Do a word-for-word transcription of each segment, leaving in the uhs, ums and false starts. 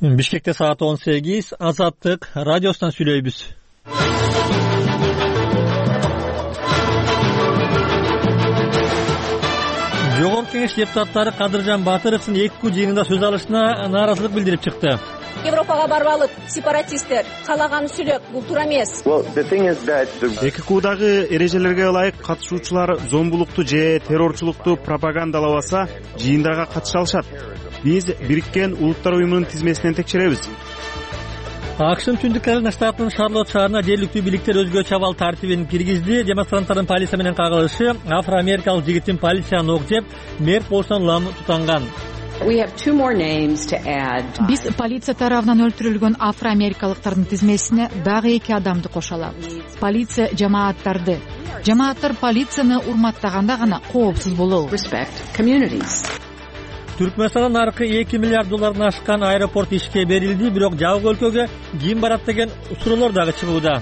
Бишкекте саат он сегиз. Азаттык радиосунан сүйлөйбүз. Жогорку Кеңеш депутаттары Кадыржан Батыровдун эки жыйынында сөз алышына нааразылык билдирип чыкты. Европага барбалык сепаратисттер каалаган сүйлөп, бул туура эмес. эки куудагы эрежелерге ылайык катышуучулар зомбулукту же террорчулукту пропагандалабаса, жыйындага катыша алышат. Биз Бириккен Улуттар уюмунун тизмесинен текшеребиз. АКШнын Түндүк Каролина штатынын Шарлотт шаарына жергиликтүү бийликтер өзгөчө абал тартибин киргизди. Демонстранттардын полиция менен кагылышы афро-америкалык жигиттин полицияны ок жеп, мерт болсун лам тутанган. Биз полиция тарабынан өлтүрүлгөн афро-америкалыктардын тизмесине дагы эки адамды кошо алабыз. Полиция жамааттарды, жамааттар полицияны урматтаганда гана коопсуз болобу. Түркмөнстандын наркы эки миллиард доллардан ашкан аэропорт ишке берилди, бирок жабык өлкөгө ким барат деген суроолор дагы чыгууда.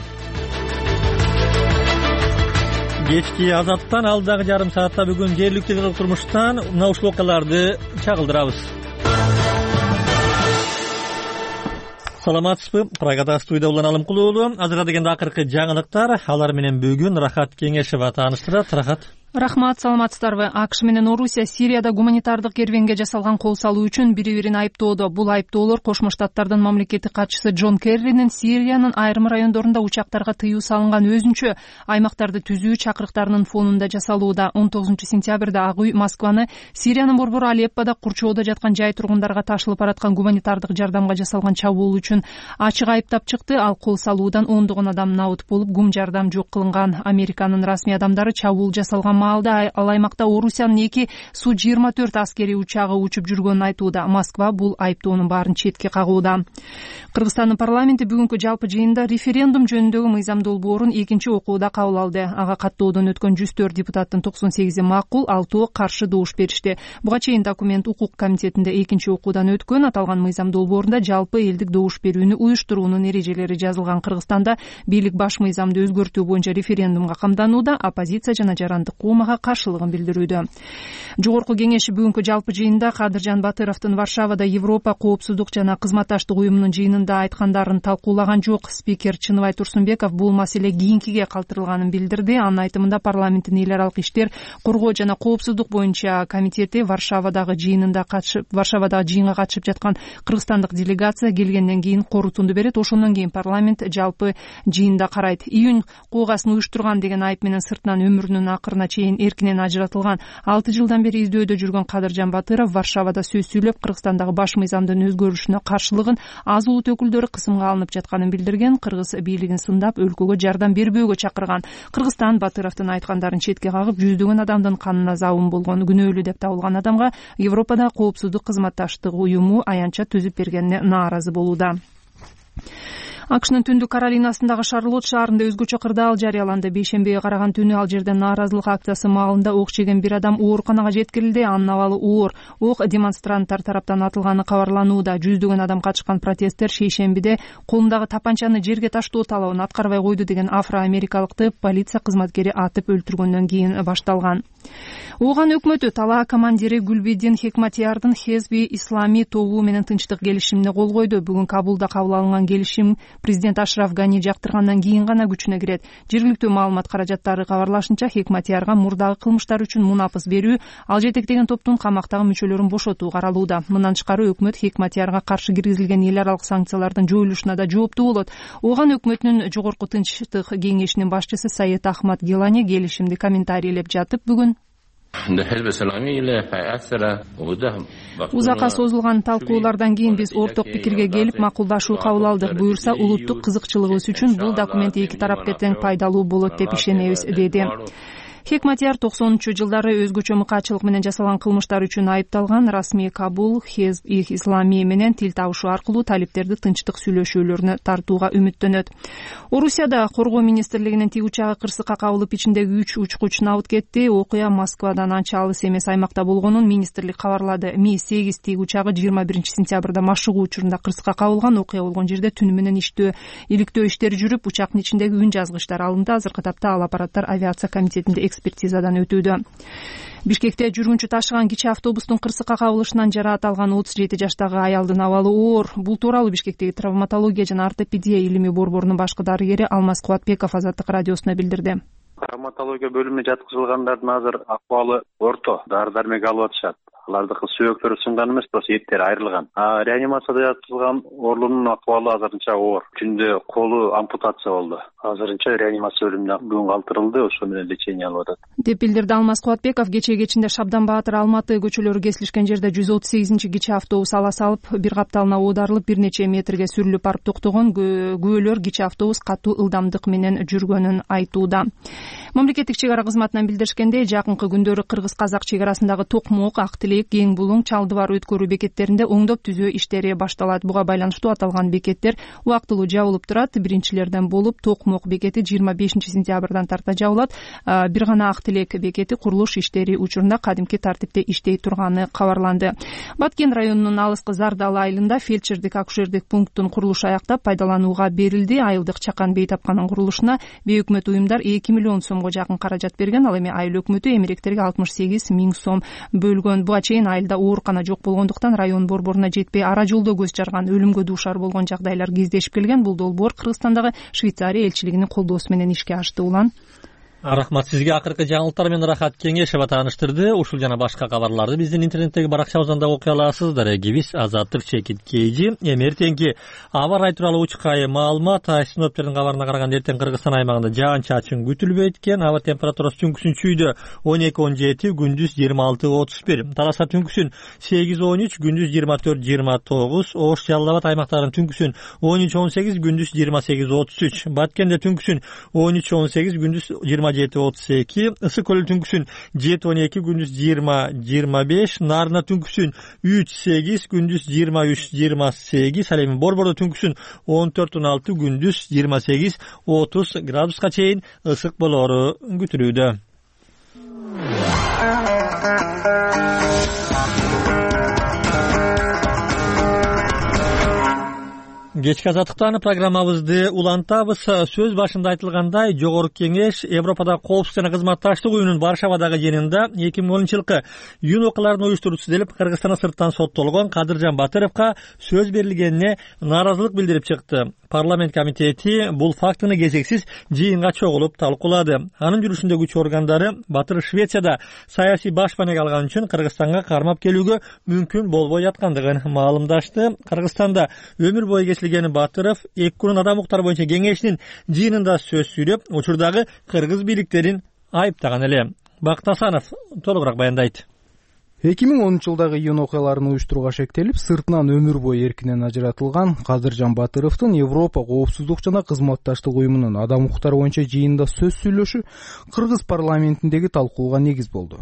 Кечки Азаттан алдагы жарым саатта бүгүн жергиликтүү турмуштан мына ушул окуяларды чагылдырабыз. Саламатсызбы? Прагада студия Улан Алымкулуу. Азырга дегенде акыркы жаңылыктар, алар менен бүгүн Рахат Кеңешева тааныштырат. Рахат. Рахмат, саламатсыздарбы? АКШ менен Орусия Сирияда гуманитардык кервенге жасалган кол салуу үчүн бири-бирин айыптоодо. Бул айыптоолор Кошмо Штаттардын мамлекеттик катчысы Джон Керринин Сириянын айрым райондорунда учактарга тыюу салынган өзүнчө аймактарды түзүү чакырыктарынын фонунда жасалууда. он тогузунчу сентябрда Ак үй Москваны Сириянын борбору Алеппода курчоодо жаткан жай тургундарга ташылып бараткан гуманитардык жардамга жасалган чабуул үчүн ачык айыптап чыкты. Ал кол салуудан ондогон адам набыт болуп, гум жардам жок кылынган. Американын расмий адамдары чабуул жасалган маалда ал аймакта Орусиянын эки Су жыйырма төрт аскери учагы учуп жүргөнүн айтууда. Москва бул айыптоонун баарын четке кагууда. Кыргызстандын парламенти бүгүнкү жалпы жыйында референдум жөнүндөгү мыйзам долбоорун экинчи окууда кабыл алды. Ага каттоодон өткөн жүз төрт депутаттын токсон сегизи макул, алтоо каршы добуш беришти. Буга чейин документ укук комитетинде экинчи окуудан өткөн. Аталган мыйзам долбоорунда жалпы элдик добуш берүүнү уюштуруунун эрежелери жазылган. Кыргызстанда бийлик баш мыйзамды өзгөртүү боюнча референдумга камданууда, оппозиция жана жарандык мага каршылыгын билдирүүдө. Жогорку Кеңеш бүгүнкү жалпы жыйында Кадыржан Батыровдун Варшавада Европа коопсуздук жана кызматташтык уюмунун жыйынында айткандарын талкуулаган жок. Спикер Чыныбай Турсунбеков бул маселе кийинкиге калтырылганын билдирди. Анын айтымында парламенттин эл аралык иштер, коргоо жана коопсуздук боюнча комитети Варшавадагы жыйынында катышып, Варшавадагы жыйынга катышып жаткан кыргызстандык делегация келгенден кийин корутунду берет. Ошондон кийин парламент жалпы жыйында карайт. Июнь куугасын уюштурган деген айып менен сыртынан өмүрүнүн акырына чейин эркинен ажыратылган алты жылдан бери издөөдө жүргөн Кадыржан Батыров Варшавада сөз сүйлөп, Кыргызстандагы баш мыйзамдын өзгөрүшүнө каршылыгын аз улут өкүлдөрү кысымга алынып жатканын билдирген. Кыргыз бийлигин сындап, өлкөгө жардам бербөөгө чакырган. Кыргызстан Батыровдун айткандарын четке кагып, жүздөгөн адамдын канына забын болгон, күнөөлүү деп табылган адамга Европада коопсуздук кызматташтык уюму аянтча түзүп бергенине нааразы болууда. АКШнын Түндүк Каролинасындагы Шарлотт шаарында өзгөчө кырдаал жарыяланды. Бейшембиге караган түнү ал жерде нааразылык акциясы маалында ок жеген бир адам ооруканага жеткирилди. Анын абалы оор. Ок демонстранттар тараптан атылганы кабарланууда. Жүздөгөн адам катышкан протесттер шейшембиде колундагы тапанчаны жерге таштоо талабын аткарбай койду деген афро-америкалыкты полиция кызматкери атып өлтүргөндөн кийин башталган. Ооган өкмөтү Талаа командири Гүлбидин Хекматиярдын Хезби Ислами тобу менен тынчтык келишимине кол койду. Бүгүн Кабулда кабыл алынган келишим президент Ашраф Гани жактыргандан кийин гана күчүнө кирет. Жергиликтүү маалымат каражаттары кабарлашынча, Хекматиярга мурдагы кылмыштар үчүн мунапыс берүү, ал жетектеген топтун камактагы мүчөлөрүн бошотуу каралууда. Мындан тышкары өкмөт Хекматиярга каршы киргизилген эл аралык санкциялардын жоюлушуна да жооптуу болот. Ооган өкмөтүнүн жогорку тынчтык кеңешинин башчысы Саид Ахмад Гелани келишимди комментарийлеп жатып, бүгүн узакка созулган талкуулардан кийин биз орток пикирге келип макулдашуу кабыл алдык. Буюрса, улуттук кызыкчылыгыбыз үчүн бул документ эки тарапка тең пайдалуу болот деп ишенебиз, деди. Хекматияр токсонунчу жылдары өзгөчө мыкаачылык менен жасалган кылмыштар үчүн айыпталган. Расмий Кабул Хезб Ислами менен тил табышуу аркылуу талиптерди тынчтык сүйлөшүүлөрүнө тартууга үмүттөнөт. Орусияда коргоо министрлигинин тиг учагы кырсыкка кабылып, ичиндеги үч учкуч набыт кетти. Окуя Москвадан анча алыс эмес аймакта болгонун министрлик кабарлады. Ми сегиз тиг учагы жыйырма биринчи сентябрда машыгуу учурунда кырсыкка кабылган. Окуя болгон жерде түнү менен иштөө, иликтөө иштери жүрүп, учактын ичиндеги үн жазгычтар алынды. Азыркы тапта ал аппараттар авиация комитетинде экспертизадан өтүүдө. Бишкекте жүргүнчү ташыган кичи автобустун кырсыкка кабылышынан жараат алган отуз жети жаштагы аялдын абалы оор. Бул тууралуу Бишкектеги травматология жана ортопедия илими борборунун башкы дарыгери Алмаз Кубатбеков Азаттык радиосуна билдирди. Травматология бөлүмүнө жаткызылгандардын азыр акыбалы орто, дары дармек алып атышат. Алардыкы сөөктөрү сынган эмес, просто эттери айрылган. А реанимацияда жаткызылган оорунун акыбалы азырынча оор. Күндө колу ампутация болду. Азырынча реанимация бөлүмүнө бүгүн калтырылды, ошо менен лечение алып атат. Деп билдирди Алмаз Кубатбеков. Кечээ кечинде Шабдан Баатыр, Алматы көчөлөрү кесилишкен жерде жүз отуз сегизинчи кичи автобус ала салып, бир капталына оодарылып, бир нече метрге сүрүлүп барып токтогон. Күбөлөр кичи автобус катуу ылдамдык менен жүргөнүн айтууда. Мамлекеттик чек ара кызматынан билдиришкендей, жакынкы күндөрү кыргыз-казак чек арасындагы Токмок, Актилек, Кең Булуң, Чалды бар өткөрүү бекеттеринде оңдоп түзөө иштери башталат. Буга байланыштуу аталган бекеттер убактылуу жабылып турат. Биринчилерден болуп Токмок бекети жыйырма бешинчи сентябрдан тарта жабылат. Бир гана Актилек бекети курулуш иштери учурунда кадимки тартипте иштей турганы кабарланды. Баткен районунун алыскы Зардалы айылында фельдшердик акушердик пункттун курулушу аяктап пайдаланууга берилди. Айылдык чакан бейтапканын курулушуна бейөкмөт уюмдар эки миллион сомго жакын каражат берген. Ал эми айыл өкмөтү эмеректерге алтымыш сегиз миң сом бөлгөн. Буга чейин айылда оорукана жок болгондуктан район борборуна жетпей ара жолдо көз жарган, өлүмгө дуушар болгон жагдайлар кездешип келген. Бул долбоор Кыргызстандагы Швейцария элчилигинин колдоосу менен ишке ашты. Улан Рахмат сизге. Акыркы жаңылыктар менен Рахат Кеңешева тааныштырды. Ушул жана башка кабарларды биздин интернеттеги баракчабыздан да окуй аласыздар. Гибис Азаттык чекит кейжи. Эми эртеңки аба ырайы тууралуу учкай маалымат. Синоптиктердин кабарына караганда эртең Кыргызстан аймагында жаан чачын күтүлбөйт экен. Аба температурасы түнкүсүн чүйдө он эки он жети, күндүз жыйырма алты отуз бир. Таласа түнкүсүн сегиз он үч, күндүз жыйырма төрт жыйырма тогуз. Ош, Жалал Абад аймактарынын түнкүсүн он үч он сегиз, күндүз жыйырма сегиз отуз үч. Баткенде түнкүсүн он үч он сегиз, күндүз жыйырма жети отуз эки. Ысык көл түнкүсүн жети он эки, күндүз жыйырма жыйырма беш. Нарына түнкүсүн үч сегиз, күндүз жыйырма үч жыйырма сегиз. Ал эми Борбордо түнкүсүн он төрт он алты, күндүз жыйырма сегиз отуз градуска чейин ысык болоору күтүлүүдө. Кечки азаттыктан программабызды улантабыз. Сөз башында айтылгандай, Жогорку Кеңеш Европадагы коопсуздук жана кызматташтык уюмунун Варшавадагы жыйынында эки миң онунчу жылкы июнь окуяларын уюштуруучусу делип Кыргызстанга сырттан соттолгон Кадыржан Батыровго сөз берилгенине нааразылык билдирип чыкты. Парламент комитети бул фактыны кезексиз жыйынга чогулуп талкуулады. Анын жүрүшүндө күч органдары Батыров Швецияда саясий башпанек алган үчүн Кыргызстанга кармап келүүгө мүмкүн болбой жаткандыгын маалымдашты. Кыргызстанда өмүр бою кесилген Батыров эки күнүн адам укуктары боюнча кеңешинин жыйынында сөз сүйлөп, учурдагы кыргыз бийликтерин айыптаган эле. Бакыт Асанов толугураак баяндайт. эки миң онунчу жылдагы июнь окуяларын уюштурууга шектелип, сыртынан өмүр бою эркинен ажыратылган Кадыржан Батыровдун Европа коопсуздук жана кызматташтык уюмунун адам укуктары боюнча жыйынында сөз сүйлөшү Кыргыз парламентиндеги талкууга негиз болду.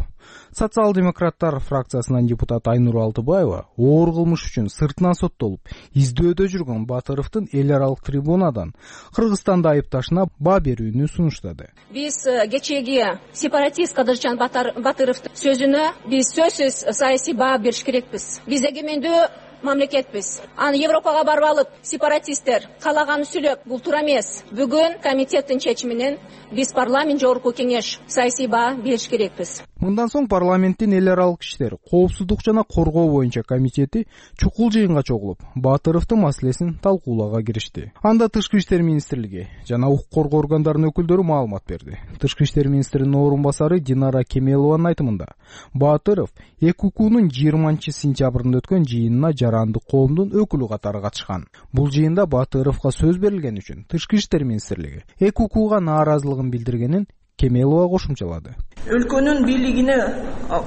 Социал-демократтар фракциясынан депутат Айнур Алтыбаева оор кылмыш үчүн сыртынан соттолуп, издөөдө жүргөн Батыровдун эл аралык трибунадан Кыргызстанды айыпташына баа берүүнү сунуштады. Биз кечеги сепаратист Кадыржан Батыровдун сөзүнө биз сөзсүз саясий баа бериш керекпиз. Биз эгемендүү мамлекетпиз. Аны Европага барып алып, сепаратисттер калаганын сүйлөп, бул туура эмес. Бүгүн комитеттин чечиминен биз парламент Жогорку Кеңеш саясий баа бериш керекпиз. Мындан соң парламенттин эл аралык иштер, коопсуздук жана коргоо боюнча комитети чукул жыйынга чогулуп, Батыровдун маселесин талкуулоого киришти. Анда Тышкы иштер министрлиги жана укук коргоо органдарынын өкүлдөрү маалымат берди. Тышкы иштер министринин орун басары Динара Кемелованын айтымында, Батыров ЭКУКунун жыйырманчы сентябрында өткөн жыйынына жарандык коомдун өкүлү катары катышкан. Бул жыйында Батыровго сөз берилген үчүн Тышкы иштер министрлиги ЭКУКуга нааразылыгын билдиргенин Кемелова кошумчалады. Өлкөнүн бийлигине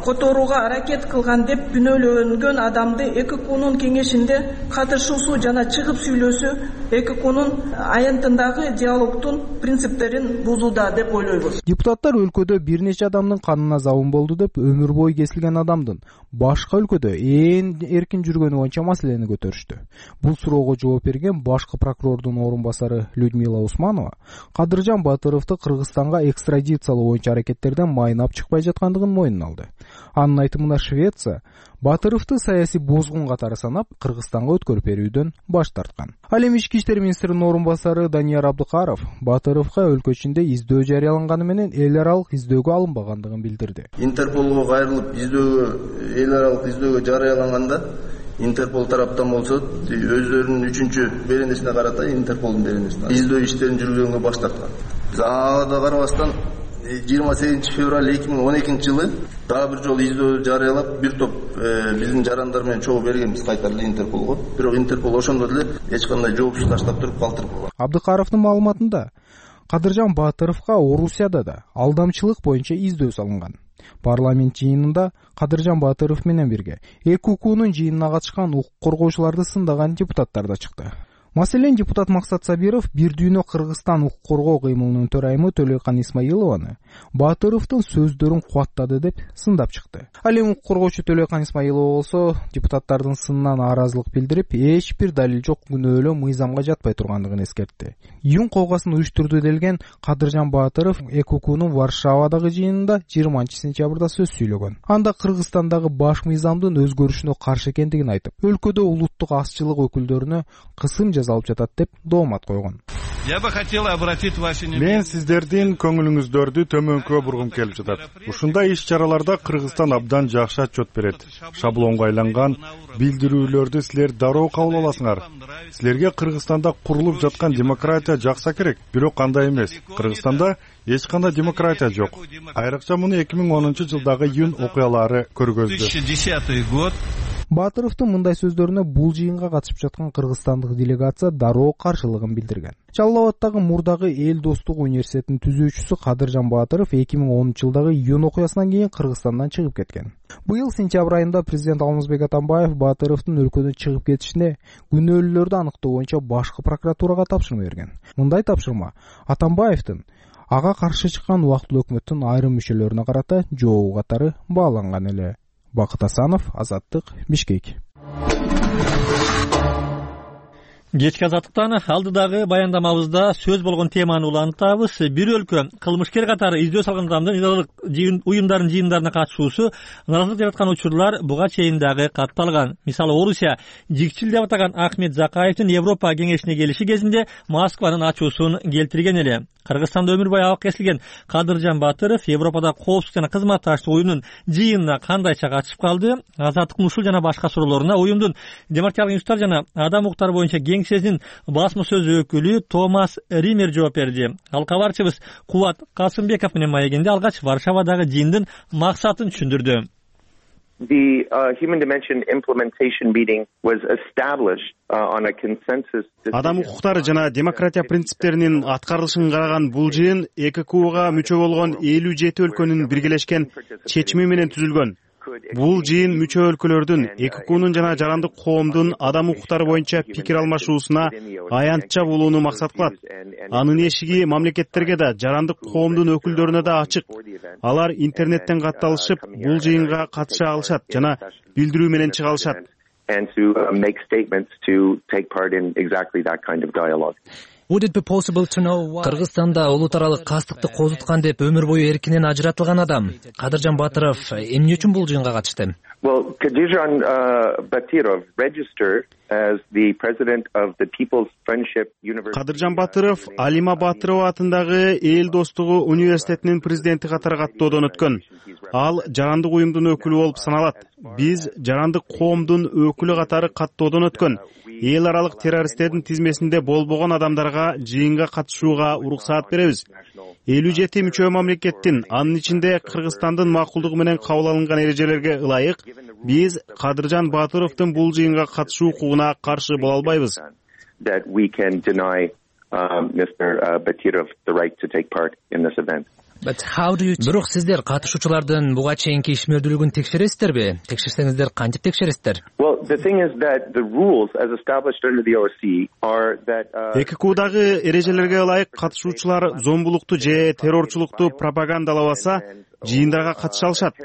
которууга аракет кылган деп күнөөлөнгөн адамды ЭКУКунун кеңешинде катышуусу жана чыгып сүйлөсү ЭКУКунун аянтындагы диалогтун принциптерин бузууда деп ойлойбуз. Депутаттар өлкөдө бир нече адамдын канына забын болду деп өмүр бою кесилген адамдын башка өлкөдө ээн эркин жүргөнү боюнча маселени көтөрүштү. Бул суроого жооп берген башкы прокурордун орун басары Людмила Усманова Кадыржан Батыровду Кыргызстанга экстрадициялоо боюнча аракеттерден майнап чыкпай жаткандыгын мойнуна алды. Анын айтымына Швеция Батыровду саясий бозгун катары санап, Кыргызстанга өткөрүп берүүдөн баш тарткан. Ал эми ички иштер министринин орун басары Данияр Абдыкаров Батыровго өлкө ичинде издөө жарыяланганы менен эл аралык издөөгө алынбагандыгын билдирди. Интерполго кайрылып издөөгө, эл аралык издөөгө жарыяланганда Интерпол тараптан болсо өздөрүнүн үчүнчү беренесине карата Интерполдун беренесине издөө иштерин жүргүзгөнгө баш тарткан. Ага да карабастан жыйырма сегизинчи февраль эки миң он экинчи жылы дагы бир жолу издөө жарыялап, бир топ биздин жарандар менен чогуу бергенбиз кайта эле Интерполго. Бирок Интерпол ошондо деле эч кандай жоопсуз таштап туруп калтырып койгон. Абдыкаровдун маалыматында Кадыржан Батыровго Орусияда да алдамчылык боюнча издөө салынган. Парламент жыйынында Кадыржан Батыров менен бирге эки укуунун жыйынына катышкан укук коргоочуларды сындаган депутаттар да чыкты. Маселен, депутат Максат Сабиров Бир дүйнө Кыргызстан укук коргоо кыймылынын төрайымы Төлөйкан Исмаилованы Батыровдун сөздөрүн кубаттады деп сындап чыкты. Ал эми укук коргоочу Төлөйкан Исмаилова болсо депутаттардын сынынан нааразылык билдирип, эч бир далил жок күнөөлөө мыйзамга жатпай тургандыгын эскертти. Июнь колгасын уюштурду делген Кадыржан Батыров эки укуунун Варшавадагы жыйынында жыйырманчы сентябрда сөз сүйлөгөн. Анда Кыргызстандагы баш мыйзамдын өзгөрүшүнө каршы экендигин айтып, өлкөдө улуттук азчылык өкүлдөрүнө кысым алып жатат деп доомат койгон. Мен сиздердин көңүлүңүздөрдү төмөнкө бургум келип жатат. Ушундай иш-чараларда Кыргызстан абдан жакшы отчет берет. Шаблонго айланган билдирүүлөрдү силер дароо кабыл аласыңар. Силерге Кыргызстанда курулуп жаткан демократия жакса керек, бирок андай эмес. Кыргызстанда эч кандай демократия жок. Айрыкча муну эки миң онунчу жылдагы июнь окуялары көргөздү. Батыровдун мындай сөздөрүнө бул жыйынга катышып жаткан кыргызстандык делегация дароо каршылыгын билдирген. Жалал Абаддагы мурдагы эл достугу университетинин түзүүчүсү Кадыржан Батыров эки миң онунчу жылдагы июнь окуясынан кийин Кыргызстандан чыгып кеткен. Быйыл сентябрь айында президент Алмазбек Атамбаев Батыровдун өлкөдөн чыгып кетишине күнөөлүүлөрдү аныктоо боюнча башкы прокуратурага тапшырма берген. Мындай тапшырма Атамбаевдин ага каршы чыккан убактылуу өкмөттүн айрым мүчөлөрүнө карата жообу катары бааланган эле. Бакыт Асанов, Азаттык, Бишкек. Кечки Азаттыктан алдыдагы баяндамабызда сөз болгон теманы улантабыз. Бир өлкө кылмышкер катары издөө салган адамдын идеологиялык уюмдардын жыйындарына катышуусу наразылык жараткан учурлар буга чейин дагы катталган. Мисалы, Орусия жикчил деп атаган Ахмет Закаевдин Европа кеңешине келиши кезинде Москванын ачуусун келтирген эле. Кыргызстанда өмүр бою абак кесилген Кадыржан Батыров Европада коопсуздук жана кызматташтык уюмунун жыйынына кандайча катышып калды? Азаттыктын ушул жана башка суроолоруна уюмдун демократиялык институттар жана адам укуктары боюнча кеңсесинин басма сөз өкүлү Томас Ример жооп берди. Ал кабарчыбыз Кубат Касымбеков менен маегинде алгач Варшавадагы жыйындын максатын түшүндүрдү. The uh, Human Dimension Implementation Meeting was established uh, on a consensus. Адам укуктары жана демократия принциптеринин аткарылышын караган бул жыйын эки кууга мүчө болгон элүү жети өлкөнүн биргелешкен чечими менен түзүлгөн. Бул жыйын мүчө өлкөлөрдүн эки куунун жана жарандык коомдун адам укуктары боюнча пикир алмашуусуна аянтча болууну максат кылат. Анын эшиги мамлекеттерге да, жарандык коомдун өкүлдөрүнө да ачык. Алар интернеттен катталышып, бул жыйынга катыша алышат жана билдирүү менен чыга алышат. And to uh, make statements to take part in exactly that kind of dialogue. Кыргызстанда улут аралык кастыкты козуткан деп өмүр бою эркинен ажыратылган адам Кадыржан Батыров эмне үчүн бул жыйынга катышты? Well, Кадыржан uh, Батыров registered as the president of the People's Friendship University. Кадыржан Батыров Алима Батырова атындагы эл достугу университетинин президенти катары каттоодон өткөн. Ал жарандык уюмдун өкүлү болуп саналат. Биз жарандык коомдун өкүлү катары каттоодон өткөн. Эл аралык террористтердин тизмесинде болбогон адамдарга жыйынга катышууга уруксаат беребиз. элүү жети мүчө мамлекеттин, анын ичинде Кыргызстандын макулдугу менен кабыл алынган эрежелерге ылайык, биз Кадыржан Батыровдун бул жыйынга катышуу укугуна каршы боло албайбыз. That we can deny um, Mister Батыров the right to take part in this event. Бирок сиздер катышуучулардын буга чейинки ишмердүүлүгүн текшересиздерби? Текшерсеңиздер кантип текшересиздер? Well, the thing is that the rules as established under the O S C are that эки куудагы эрежелерге ылайык катышуучулар зомбулукту же террорчулукту пропагандалабаса, жыйындарга катыша алышат.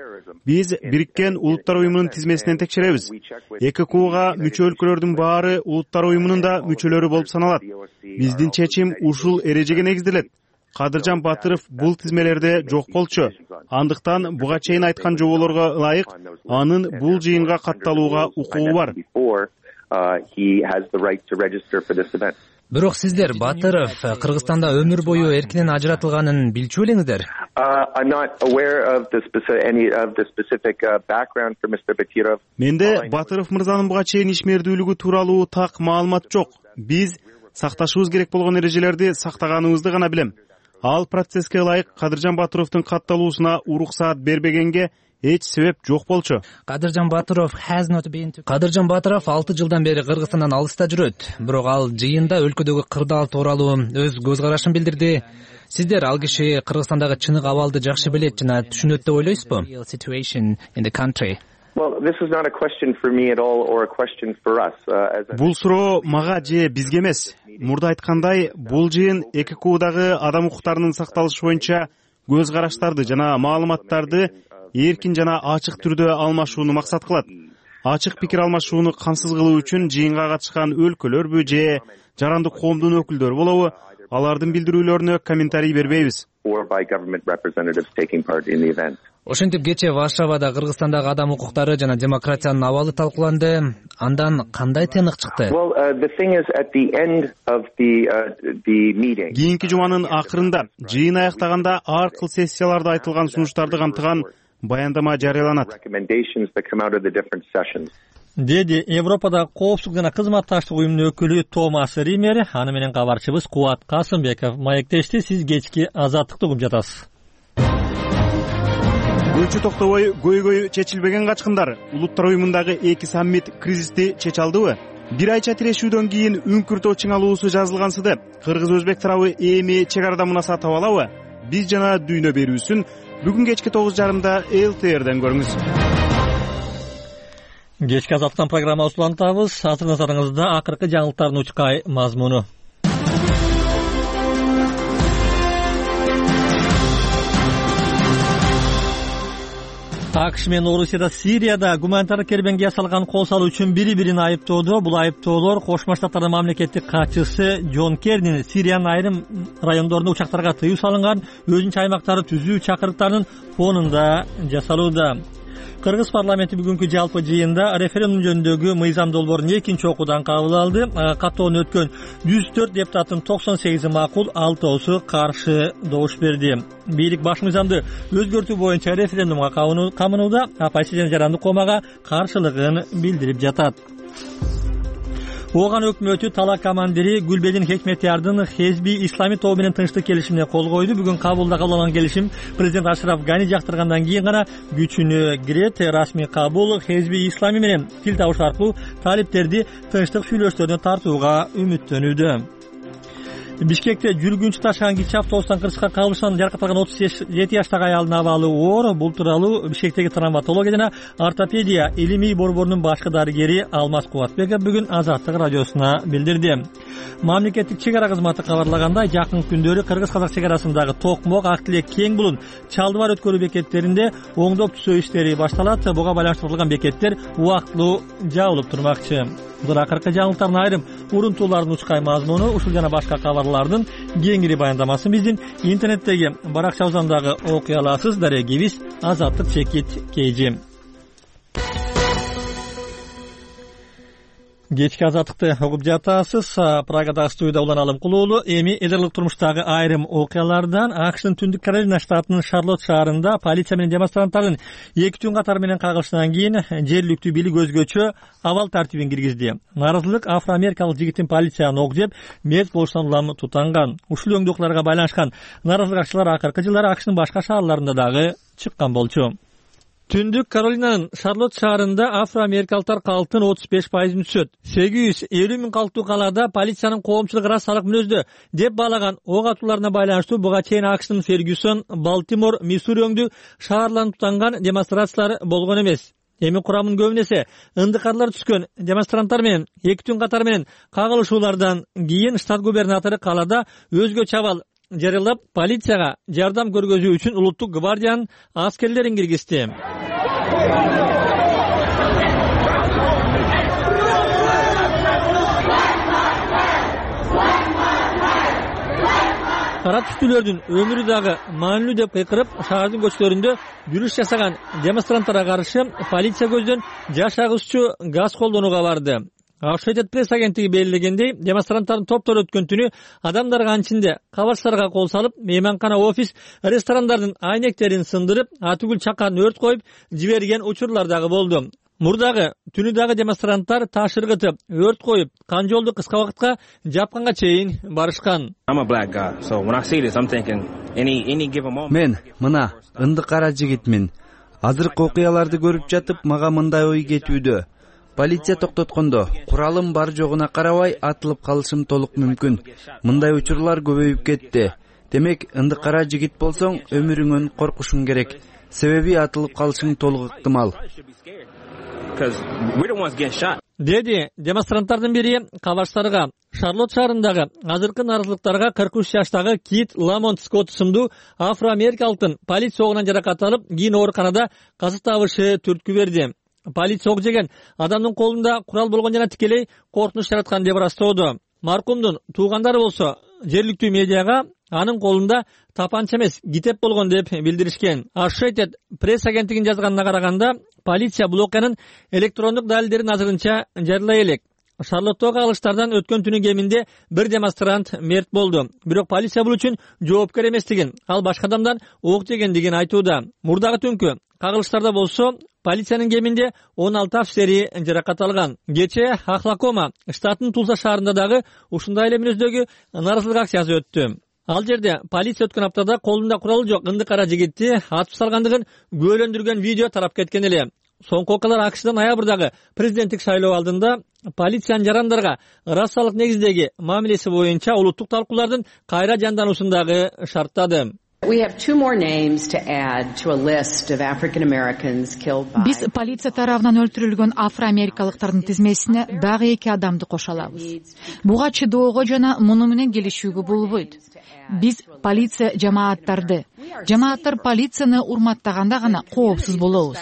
Биз Бириккен Улуттар уюмунун тизмесинен текшеребиз. эки кууга мүчө өлкөлөрдүн баары Улуттар уюмунун да мүчөлөрү болуп саналат. Биздин чечим ушул эрежеге негизделет. Кадыржан Батыров бул тизмелерде жок болчу. Андыктан буга чейин айткан жоболорго ылайык анын бул жыйынга катталууга укугу бар. Бирок сиздер Батыров Кыргызстанда өмүр бою эркинен ажыратылганын билчү белеңиздер? Менде Батыров мырзанын буга чейин ишмердүүлүгү тууралуу так маалымат жок. Биз сакташыбыз керек болгон эрежелерди сактаганыбызды гана билем. Ал процесске ылайык Кадыржан Батыровдун катталуусуна уруксаат бербегенге эч себеп жок болчу. Кадыржан Батыров Кадыржан Батыров алты жылдан бери Кыргызстандан алыста жүрөт. Бирок ал жыйында өлкөдөгү кырдаал тууралуу өз көз карашын билдирди. Сиздер ал киши Кыргызстандагы чыныгы абалды жакшы билет жана түшүнөт деп ойлойсузбу? Бул суроо мага же бизге эмес. Мурда айткандай, бул жыйын эки куудагы адам укуктарынын сакталышы боюнча көз караштарды жана маалыматтарды эркин жана ачык түрдө алмашууну максат кылат. Ачык пикир алмашууну камсыз кылуу үчүн жыйынга катышкан өлкөлөрбү же жарандык коомдун өкүлдөрү болобу, алардын билдирүүлөрүнө комментарий бербейбиз. Ошентип кечээ Варшавада Кыргызстандагы адам укуктары жана демократиянын абалы талкууланды. Андан кандай тыйнык чыкты? Кийинки жуманын акырында жыйын аяктаганда ар кыл сессияларда айтылган сунуштарды камтыган баяндама жарыяланат, деди Европадагы коопсуздук жана кызматташтык уюмунун өкүлү Томас Ример. Аны менен кабарчыбыз Кубат Касымбеков маектешти. Сиз кечки азаттыкты угуп жатасыз. Көчү токтобой көйгөй чечилбеген качкындар. Улуттар уюмундагы эки саммит кризисти чече алдыбы? Бир айча тирешүүдөн кийин үңкүртөө чыңалуусу жазылгансыды. Кыргыз-өзбек тарабы эми чек арада мунаса таба алабы? Биз жана дүйнө берүүсүн бүгүн кечки тогуз жарымда эл ти эрден көрүңүз. Кечки азаттыктан программабызды улантабыз. Азыр назарыңызда акыркы жаңылыктардын учкай мазмуну. АКШ менен Орусияда Сирияда гуманитардык кербеңге ясалган кол салуу үчүн бири-бирин айыптоодо. Бул айыптоолор Кошмо Штаттардын мамлекеттик катчысы Джон Керринин Сириянын айрым райондорунда учактарга тыюу салынган өзүнчө аймактарды түзүү чакырыктарынын фонунда жасалууда. Кыргыз парламенти бүгүнкү жалпы жыйында референдум жөнүндөгү мыйзам долбоорун экинчи окуудан кабыл алды. Каттоодон өткөн жүз төрт депутаттын токсон сегизи макул, алтоосу каршы добуш берди. Бийлик баш мыйзамды өзгөртүү боюнча референдумга камынууда, оппозиция жана жарандык коомага каршылыгын билдирип жатат. Ооган өкмөтү талак командири Гүлбедин Хекметиярдын Хезби ислами тобу менен тынчтык келишимине кол койду. Бүгүн Кабулда кабыл алынган келишим президент Ашраф Гани жактыргандан кийин гана күчүнө кирет. Расмий кабул Хезби ислами менен тил табыш аркылуу талиптерди тынчтык сүйлөшүүлөрүнө тартууга үмүттөнүүдө. Бишкекте жүргүнчү ташыган кичи автобустан кырсыкка кабылышынан жаракат алган отуз жети жаштагы аялдын абалы оор. Бул тууралуу Бишкектеги травматология жана ортопедия илимий борборунун башкы дарыгери Алмаз Кубатбеков бүгүн Азаттык радиосуна билдирди. Мамлекеттик чек ара кызматы кабарлагандай, жакын күндөрү Кыргыз-Казак чек арасындагы Токмок, Ак Тилек, Кең Булун, Чалды бар өткөрүү бекеттеринде оңдоп түзөө иштери башталат. Буга байланыштырылган бекеттер убактылуу жабылып турмакчы. Бул акыркы жаңылыктардын айрым урунтуулардын учкай мазмуну. Ушул жана башка кабарлардын кеңири баяндамасын биздин интернеттеги баракчабыздан дагы окуй аласыз. Дарегибиз Азаттык чекит кейжи. Кечки азаттыкты угуп жатасыз. Прагадагы студияда Улан Алым Кулуулу. Эми элдерлик турмуштагы айрым окуялардан. АКШтын Түндүк Каролина штатынын Шарлотт шаарында полиция менен демонстранттардын эки түн катары менен кагылышынан кийин жергиликтүү бийлик өзгөчө абал тартибин киргизди. Нааразылык афро-америкалык жигиттин полицияны ок жеп, мерт болушунан улам тутанган. Ушул өңдүү окуяларга байланышкан нааразылык акчылар акыркы жылдары АКШтын башка шаарларында дагы чыккан болчу. Түндүк Каролинанын Шарлотт шаарында афро-америкалыктар калктын отуз беш пайызын түшөт. сегиз жүз элүү миң калктуу калаада полициянын коомчулук расалык мүнөздө деп баалаган ок атууларына байланыштуу буга чейин АКШтын Фергюсон, Балтимор, Миссури өңдүү шаарларын тутанган демонстрациялар болгон эмес. Эми курамын көбүнө эсе ындыкарлар түшкөн демонстранттар менен эки түн катары менен кагылышуулардан кийин штат губернатору калаада өзгөчө абал жарыялап полицияга жардам көргөзүү үчүн улуттук гвардиянын аскерлерин киргизди. кара түстүүлөрдүн өмүрү дагы маанилүү деп кыйкырып шаардын көчөлөрүндө жүрүш жасаган демонстранттарга каршы полиция көздөн жаш агызчу газ колдонууга барды. Associated Press агенттиги белгилегендей, демонстранттардын топтор өткөн түнү адамдар канчинде кабарчтарга кол салып, мейманкана, офис, ресторандардын айнектерин сындырып, атүгүл чакан өрт коюп жиберген учурлар дагы болду. Мурдагы түнү дагы демонстранттар таш ыргытып, өрт коюп, кан жолду кыска убакытка жапканга чейин барышкан. Мен мына ынды кара жигитмин. Азыркы окуяларды көрүп жатып, мага мындай ой кетүүдө. Полиция токтоткондо куралым бар жогуна карабай атылып калышым толук мүмкүн. Мындай учурлар көбөйүп кетти. Демек, ынды кара жигит болсоң, өмүрүңөн коркушуң керек. Себеби атылып калышың толук ыктымал. Деди демонстранттардын бири кабарчтарга. Шарлотт шаарындагы азыркы нааразылыктарга кырк үч жаштагы Кит Ламонт Скотт сымдуу афро-америкалыктын полиция огунан жаракат алып, кийин ооруканада каза табышы түрткү берди. Полиция ок жеген адамдын колунда курал болгон жана тикелей коркунуч жараткан деп ырастоодо. Маркумдун туугандары болсо жергиликтүү медиага анын колунда тапанча эмес, китеп болгон деп билдиришкен. Associated Press агенттигинин жазганына караганда, полиция бул окуянын электрондук далилдерин азырынча жарыялай элек. Шарлоттогу кагылыштардан өткөн түнү кеминде бир демонстрант мерт болду. Бирок полиция бул үчүн жоопкер эместигин, ал башка адамдан ок жегендигин айтууда. Мурдагы түнкү кагылыштарда болсо, полициянын кеминде он алты офицери жаракат алган. Кечээ Охлакома штатынын Тулса шаарында дагы ушундай эле мүнөздөгү нааразылык акциясы өттү. Ал жерде полиция өткөн аптада колунда куралы жок ынды кара жигитти атып салгандыгын күбөлөндүргөн видео тарап кеткен эле. Соңку окуялар АКШда ноябрдагы президенттик шайлоо алдында полициянын жарандарга расалык негиздеги мамилеси боюнча улуттук талкуулардын кайра жандануусун дагы шарттады. Биз полиция тарабынан өлтүрүлгөн афро-америкалыктардын тизмесине дагы эки адамды кошо алабыз. Буга чыдоого жана муну менен келишүүгө болбойт. Биз полиция жамааттарды, жамааттар полицияны урматтаганда гана коопсуз болобуз.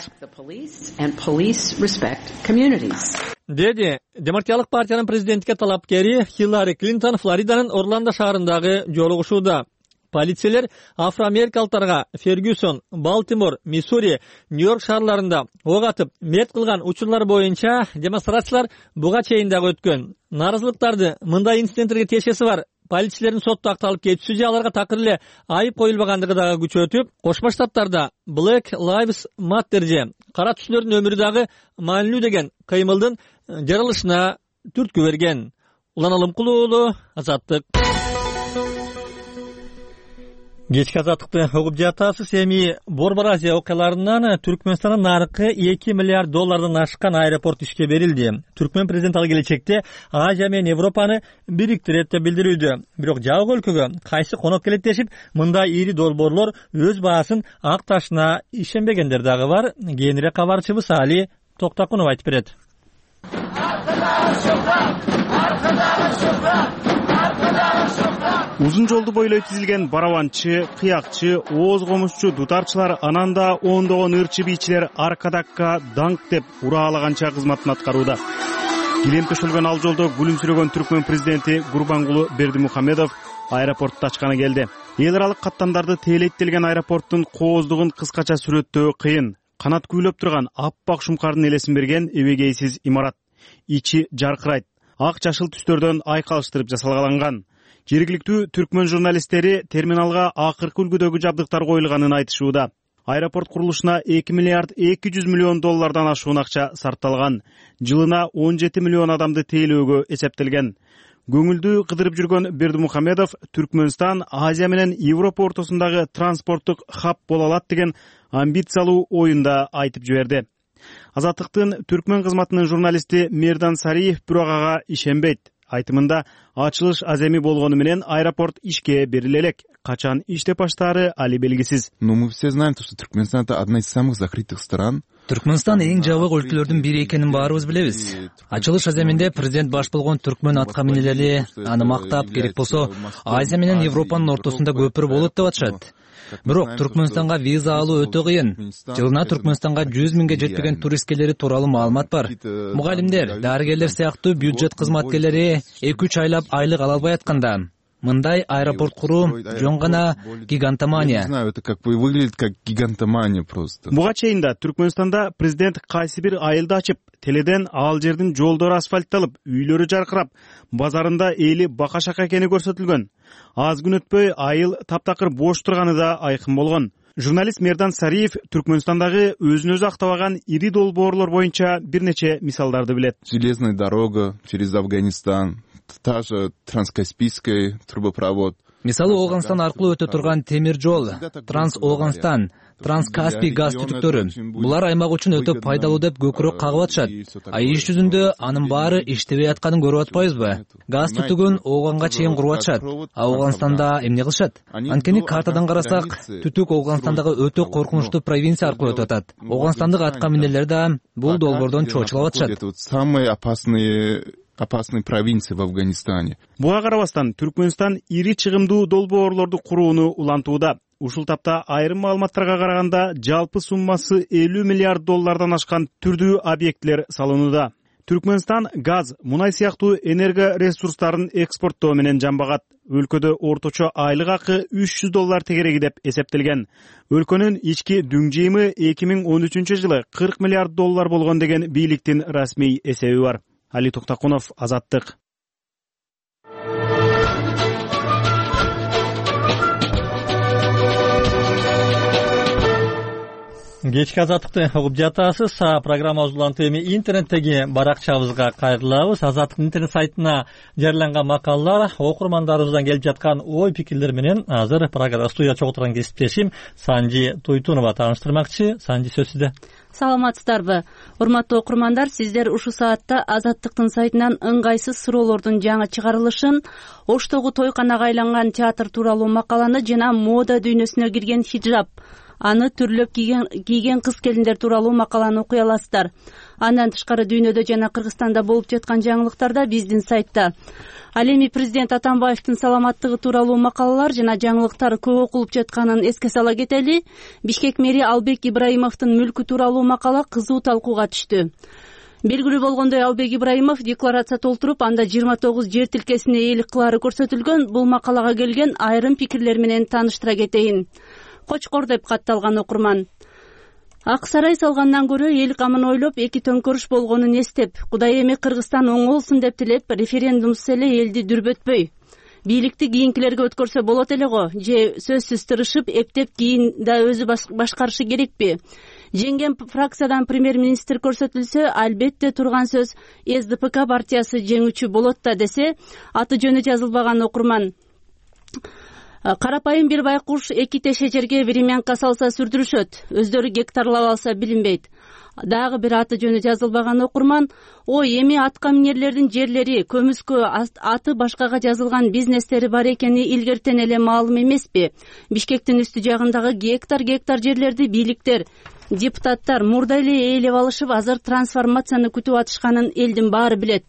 Деди Демократиялык партиянын президенттикке талапкери Хиллари Клинтон Флориданын Орландо шаарындагы жолугушууда. Полициялер афро-америкалыктарга Фергюсон, Балтимор, Миссури, Нью-Йорк шаарларында ок атып, мерт кылган учурлар боюнча демонстрациялар буга чейин дагы өткөн. Нааразылыктарды мындай инциденттерге тиешеси бар полициялердин сотто акталып кетүүсү же аларга такыр эле айып коюлбагандыгы дагы күчөтүп, Кошмо Штаттарда Black Lives Matter же кара түстүүлөрдүн өмүрү дагы маанилүү деген кыймылдын жаралышына түрткү берген. Улан Алымкулуу уулу, Азаттык. Кечки азаттыкты угуп жатасыз. Эми Борбор Азия окуяларынан Түркмөнстандын наркы эки миллиард доллардан ашкан аэропорт ишке берилди. Түркмөн президенти ал келечекте Азия менен Европаны бириктирет деп билдирүүдө. Бирок жабык өлкөгө кайсы коноп келет дешип, мындай ири долбоорлор өз баасын акташына ишенбегендер дагы бар. Кийинирээк кабарчыбыз Али Токтакунов айтып берет. Узун жолду бойлой тизилген барабанчы, кыякчы, ооз комузчу, дутарчылар, анан да ондогон ырчы бийчилер аркадакка даңк деп ураалаганча кызматын аткарууда. Килем төшөлгөн ал жолдо күлүмсүрөгөн Түркмөн президенти Гурбангулы Бердимухамедов аэропортту ачканы келди. Эл аралык каттамдарды тейлеттелген аэропорттун кооздугун кыскача сүрөттөө кыйын. Канат күйлөп турган аппак шумкардын элесин берген эбегейсиз имарат. Ичи жаркырайт. Ак жашыл түстөрдөн айкалыштырып жасалган. Жергиликтүү түркмөн журналисттери терминалга акыркы үлгүдөгү жабдыктар коюлганын айтышууда. Аэропорт курулушуна эки миллиард эки жүз миллион доллардан ашуун акча сарпталган. Жылына он жети миллион адамды тейлөөгө эсептелген. Көңүлдү кыдырып жүргөн Бердимухамедов Түркмөнстан Азия менен Европа ортосундагы транспорттук хаб боло алат деген амбициялуу оюнда айтып жиберди. Азаттыктын Түркмөн кызматынын журналисти Мердан Сариев бирок ага ишенбейт. Айтымында ачылыш аземи болгону менен аэропорт ишке бериле элек. Качан иштеп баштаары али белгисиз. Но мы все знаем, что Түркмөнстан это одна из самых закрытых стран. Түркмөнстан эң жабык өлкөлөрдүн бири экенин баарыбыз билебиз. Ачылыш аземинде президент баш болгон түркмөн атка минелери аны мактап, керек болсо Азия менен Европанын ортосунда көпүрө болот деп атышат. Бирок Түркмөнстанга виза алуу өтө кыйын. Жылына Түркмөнстанга жүз миңге жетпеген турист келери тууралуу маалымат бар. Мугалимдер, дарыгерлер сыяктуу бюджет кызматкерлери эки үч айлап айлык ала албай атканда. мындай аэропорт куруу жөн гана гигантомания. Не знаю, это как бы выглядит как гигантомания просто. Буга чейин да Түркмөнстанда президент кайсы бир айылды ачып, теледен ал жердин жолдору асфальтталып, үйлөрү жаркырап, базарында эли бака-шака экени көрсөтүлгөн. Аз күн өтпөй айыл таптакыр бош турганы да айкын болгон. Журналист Мердан Сариев Түркмөнстандагы өзүн өзү актабаган ири долбоорлор боюнча бир нече мисалдарды билет. Железная дорога через Афганистан, та же Транскаспийский трубопровод. Мисалы Ооганстан аркылуу өтө турган темир жол, Транс-Ооганстан, Транскаспий газ түтүктөрү. Булар аймак үчүн өтө пайдалуу деп көкүрөк кагып атышат. А иш жүзүндө анын баары иштебей атканын көрүп атпайбызбы? Газ түтүгүн Ооганга чейин куруп атышат. А Ооганстанда эмне кылышат? Анткени картадан карасак, түтүк Ооганстандагы өтө коркунучтуу провинция аркылуу өтүп атат. Ооганстандык атка минерлер да бул долбоордон чоочулап атышат. Самые опасные опасной провинции в Афганистане. Буга карабастан Түркмөнстан ири чыгымдуу долбоорлорду курууну улантууда. Ушул тапта айрым маалыматтарга караганда жалпы суммасы элүү миллиард доллардан ашкан түрдүү объектилер салынууда. Түркмөнстан газ, мунай сыяктуу энерго ресурстарын экспорттоо менен жамбагат. Өлкөдө орточо айлык акы үч жүз доллар тегереги деп эсептелген. Өлкөнүн ички дүң жыйымы эки миң он үчүнчү жылы кырк миллиард доллар болгон деген бийликтин расмий эсеби бар. Али Токтакунов, Азаттык. Кечки Азаттыкты угуп жатасыз. Программабыз улантуу эми интернеттеги баракчабызга кайрылабыз. Азаттык интернет сайтына жарыяланган макалалар, окурмандарыбыздан келип жаткан ой пикирлер менен азыр программа студияда чогуу турган кесиптешим Санжи Туйтунова тааныштырмакчы. Санжи, сөз сизде. Саламатсыздарбы? Урматтуу окурмандар, сиздер ушул саатта Азаттыктын сайтынан ыңгайсыз суроолордун жаңы чыгарылышын, Оштогу тойканага айланган театр тууралуу макаланы жана мода дүйнөсүнө кирген хиджаб, аны түрлөп кийген, кийген кыз келиндер тууралуу макаланы окуй аласыздар. Андан тышкары дүйнөдө жана Кыргызстанда болуп жаткан жаңылыктар да биздин сайтта. Ал эми президент Атамбаевдин саламаттыгы тууралуу макалалар жана жаңылыктар көп окулуп жатканын эске сала кетели. Бишкек мэри Албек Ибраимовдун мүлкү тууралуу макала кызуу талкууга түштү. Белгилүү болгондой, Албек Ибраимов декларация толтуруп, анда жыйырма тогуз жер тилкесине ээлик кылаары көрсөтүлгөн. Бул макалага келген айрым пикирлер менен тааныштыра кетейин. Кочкор деп катталган окурман. Ак сарай салгандан көрө эл камын ойлоп, эки төңкөрүш болгонун эстеп, Кудай эми Кыргызстан оңолсун деп тилеп, референдумсуз эле элди дүрбөтпөй. Бийликти кийинкилерге өткөрсө болот эле го, же сөзсүз тырышып, эптеп кийин да өзү башкарышы керекпи? Жеңген фракциядан премьер-министр көрсөтүлсө, албетте турган сөз эс дэ пэ ка партиясы жеңүүчү болот да десе, аты жөнү жазылбаган окурман. Карапайым бир байкуш эки теше жерге беременка салса сүрдүрүшөт, өздөрү гектарлап алса билинбейт. Дагы бир аты жөнү жазылбаган окурман: ой, эми атка минерлердин жерлери, көмүскө, аты башкага жазылган бизнестери бар экени илгертен эле маалым эмеспи? Бишкектин үстү жагындагы гектар гектар жерлерди бийликтер, депутаттар мурда эле ээлеп алышып, азыр трансформацияны күтүп атышканын элдин баары билет.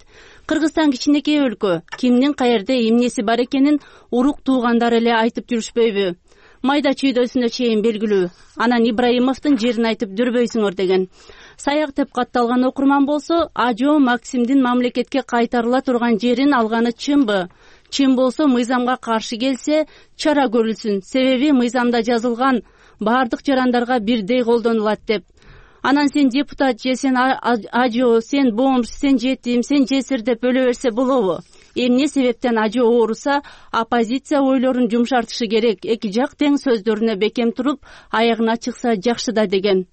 Кыргызстан кичинекей өлкө, кимдин каерде эмнеси бар экенин урук туугандар эле айтып жүрүшпөйбү? Майда чүйдөсүнө чейин белгилүү. Анан Ибраимовдун жерин айтып жүрбөйсүңөр деген. Саяк деп катталган окурман болсо, Ажо Максимдин мамлекетке кайтарыла турган жерин алганы чынбы? Чын болсо, мыйзамга каршы келсе, чара көрүлсүн. Себеби мыйзамда жазылган баардык жарандарга бирдей колдонулат деп. Анан сен депутат же сен Ажо, сен бомж, сен жетим, сен жесир деп өлө берсе болобу? Эмне себептен Ажо ооруса, оппозиция ойлорун жумшартышы керек. Эки жак тең сөздөрүнө бекем туруп, аягына чыкса жакшы да деген.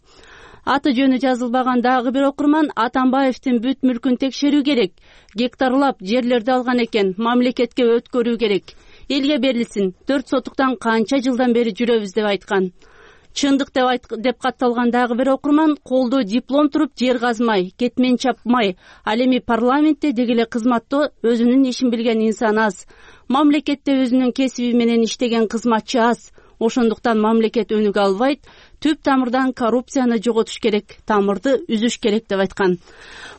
Аты жөнү жазылбаган дагы бир окурман: Атамбаевдин бүт мүлкүн текшерүү керек. Гектарлап жерлерди алган экен, мамлекетке өткөрүү керек. Элге берилсин. Төрт сотуктан канча жылдан бери жүрөбүз деп айткан. Чындык деп айт, деп катталган дагы бир окурман: колдо диплом туруп жер казмай, кетмен чапмай, ал эми парламентте дегеле кызматта өзүнүн ишин билген инсан аз. Мамлекетте өзүнүн кесиби менен иштеген кызматчы аз. Ошондуктан мамлекет өнүгө албайт. Түп тамырдан коррупцияны жоготуш керек, тамырды үзүш керек деп айткан.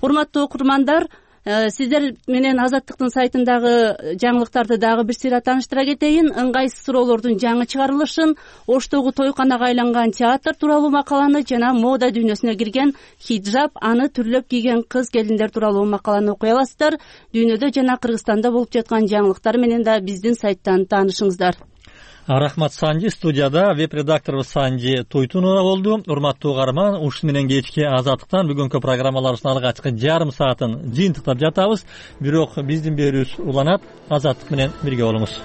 Урматтуу окурмандар, сиздер менен Азаттыктын сайтындагы жаңылыктарды дагы бир сыйра тааныштыра кетейин. Ыңгайсыз суроолордун жаңы чыгарылышын, Оштогу тойканага айланган театр тууралуу макаланы жана мода дүйнөсүнө кирген хиджаб, аны түрлөп кийген кыз келиндер тууралуу макаланы окуй аласыздар. Дүйнөдө жана Кыргызстанда болуп жаткан жаңылыктар менен да биздин сайттан таанышыңыздар. Рахмат Санжи. Студияда веб-редакторубуз Санжи Тойтунова болду. Урматтуу угарман, ушуну менен кечки Азаттыктан бүгүнкү программаларыбыздын алгачкы жарым саатын жыйынтыктап жатабыз. Бирок биздин берүүбүз уланат. Азаттык менен бирге болуңуз.